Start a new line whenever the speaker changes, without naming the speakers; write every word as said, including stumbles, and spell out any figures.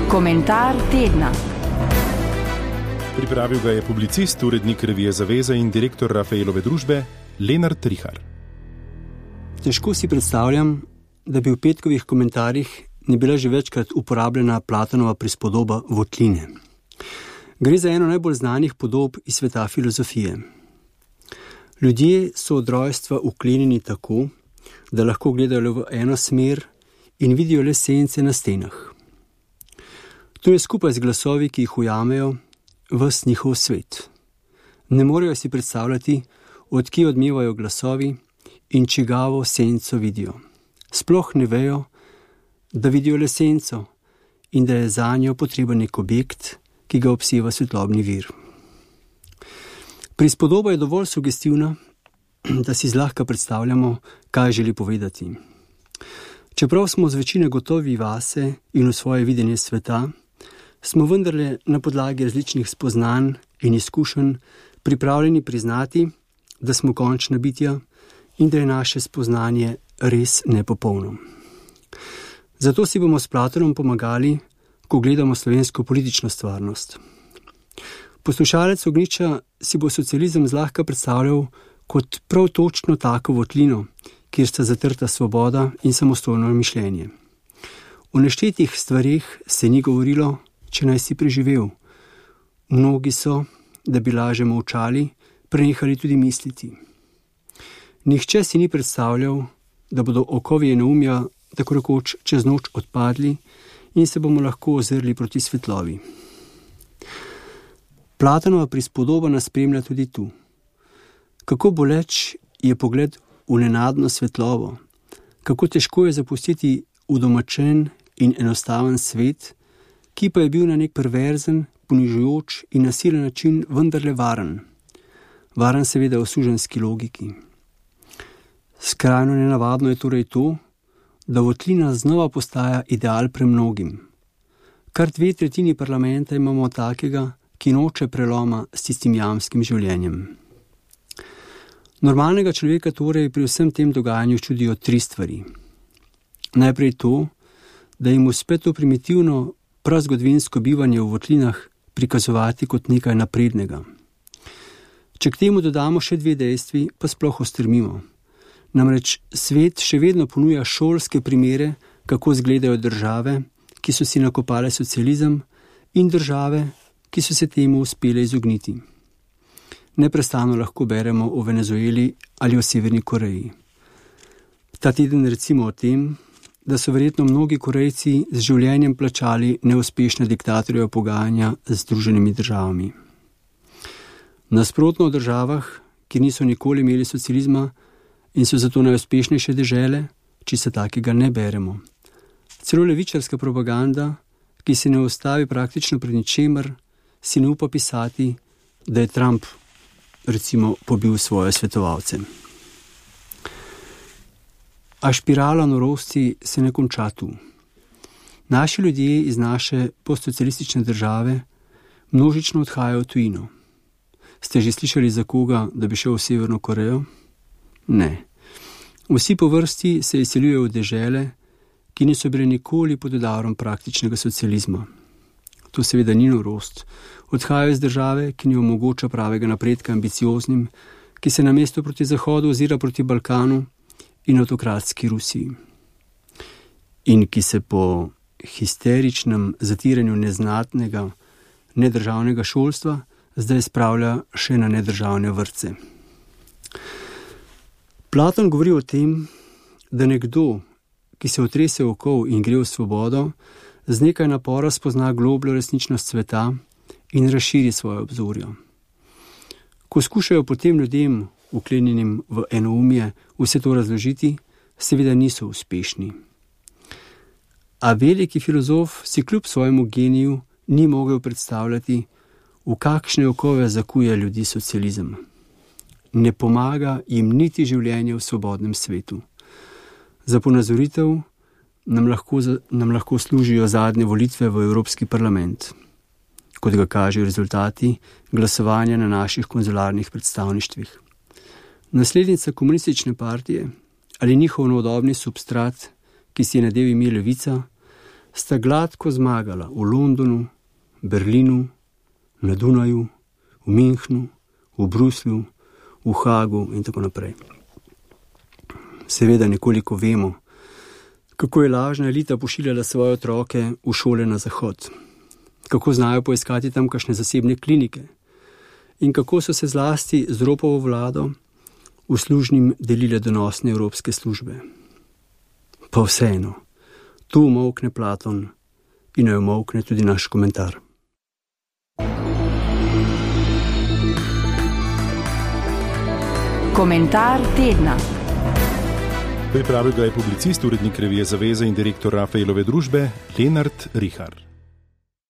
Komentar tedna.
Pripravil ga je publicist, urednik revije Zaveza in direktor Rafaelove družbe Lenart Rihar.
Težko si predstavljam, da bi v petkovih komentarjih ne bila že večkrat uporabljena Platonova prispodoba votline. Gre za eno najbolj znanih podob iz sveta filozofije. Ljudje so od rojstva vklenjeni tako, da lahko gledajo le v eno smer in vidijo le sence na stenah. To je skupaj z glasovi, ki jih ujamejo, ves njihov svet. Ne morejo si predstavljati, od kje odmevajo glasovi in čigavo senco vidijo. Sploh ne vejo, da vidijo le senco in da je zanjo potreben nek objekt, ki ga obseva svetlobni vir. Prispodoba je dovolj sugestivna, da si zlahka predstavljamo, kaj želi povedati. Čeprav smo z večine gotovi vase in v svoje videnje sveta, smo vendarle na podlagi različnih spoznanj in izkušenj pripravljeni priznati, da smo končna bitja in da je naše spoznanje res nepopolno. Zato si bomo s Platonom pomagali, ko gledamo slovensko politično stvarnost. Poslušalec Ognjiča si bo socializem zlahka predstavljal kot prav točno tako votlino, kjer sta zatrta svoboda in samostojno mišljenje. O neštetih stvareh se ni govorilo, če naj si preživel. Mnogi so, da bi laže molčali, prenehali tudi misliti. Nihče si ni predstavljal, da bodo okovi enoumja tako rekoč čez noč odpadli in se bomo lahko ozrli proti svetlovi. Platonova prispodoba nas spremlja tudi tu. Kako boleč je pogled v nenadno svetlovo, kako težko je zapustiti udomačen in enostaven svet, ki pa je bil na nek perverzen, ponižujoč in nasilen način vendarle varen. Varen seveda v suženjski logiki. Skrajno nenavadno je torej to, da votlina znova postaja ideal premnogim. Kar dve tretjini parlamenta imamo takega, ki noče preloma s tistim jamskim življenjem. Normalnega človeka torej pri vsem tem dogajanju čudijo tri stvari. Najprej to, da jim uspe to primitivno, prazgodovinsko bivanje v votlinah prikazovati kot nekaj naprednega. Če k temu dodamo še dve dejstvi, pa sploh ostrmimo. Namreč svet še vedno ponuja šolske primere, kako izgledajo države, ki so si nakopale socializem, in države, ki so se temu uspele izogniti. Neprestano lahko beremo o Venezueli ali o Severni Koreji. Ta teden recimo o tem, da so verjetno mnogi Korejci z življenjem plačali neuspešne diktatorjeve pogajanja z Združenimi državami. Nasprotno v državah, ki niso nikoli imeli socializma in so zato najuspešnejše dežele, če se takega ne beremo. Celo levičarska propaganda, ki se ne ustavi praktično pred ničemer, si ne upa pisati, da je Trump recimo pobil svoje svetovalce. A špirala norosti se ne konča tu. Naši ljudje iz naše postsocialistične države množično odhajajo v tujino. Ste že slišali za koga, da bi šel v Severno Korejo? Ne. Vsi po vrsti se izseljujejo v dežele, ki niso bile nikoli pod udarom praktičnega socializma. To seveda ni norost. Odhajajo iz države, ki ni omogoča pravega napredka ambicioznim, ki se namesto proti Zahodu ozira proti Balkanu in avtokratski Rusiji. In ki se po histeričnem zatiranju neznatnega, nedržavnega šolstva zdaj spravlja še na nedržavne vrtce. Platon govori o tem, da nekdo, ki se otrese okov in gre v svobodo, z nekaj napora spozna globljo resničnost sveta in razširi svoje obzorje. Ko skušajo potem ljudem, vklenjenim v enoumje, vse to razložiti, seveda niso uspešni. A veliki filozof si kljub svojemu geniju ni mogel predstavljati, v kakšne okove zakuje ljudi socializem. Ne pomaga jim niti življenje v svobodnem svetu. Za ponazoritev nam lahko, nam lahko služijo zadnje volitve v Evropski parlament, kot ga kažejo rezultati glasovanja na naših konzularnih predstavništvih. Naslednica komunistične partije ali njihov novodobni substrat, ki si je nadel ime Levica, sta gladko zmagala v Londonu, Berlinu, na Dunaju, v Münchnu, v Bruslju, v Hagu in tako naprej. Seveda nekoliko vemo, kako je lažna elita pošiljala svoje otroke v šole na zahod, kako znajo poiskati tam kakšne zasebne klinike in kako so se zlasti z ropovo vlado uslužnim delile donosne evropske službe. Pa vseeno, tu umolkne Platon in ne umolkne tudi naš komentar.
Komentar tedna.
Pripravil ga je publicist, urednik revije Zaveza in direktor Rafaelove družbe Lenart Rihar.